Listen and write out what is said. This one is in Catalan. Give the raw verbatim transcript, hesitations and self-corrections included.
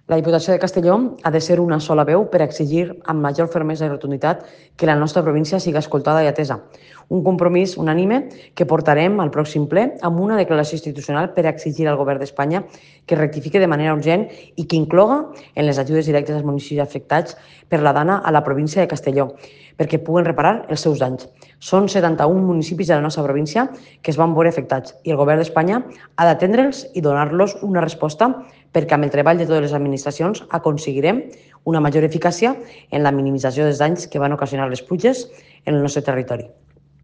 La Diputació de Castelló ha de ser una sola veu per exigir amb major fermesa i rotunditat que la nostra província siga escoltada i atesa. Un compromís unànime que portarem al pròxim ple amb una declaració institucional per exigir al Govern d'Espanya que rectifique de manera urgent i que incloga en les ajudes directes als municipis afectats per la Dana a la província de Castelló, perquè puguen reparar els seus danys. Són setanta-un municipis de la nostra província que es van veure afectats i el Govern d'Espanya ha d'atendre'ls i donar-los una resposta perquè amb el treball de totes les administracions aconseguirem una major eficàcia en la minimització dels danys que van ocasionar les pluges en el nostre territori.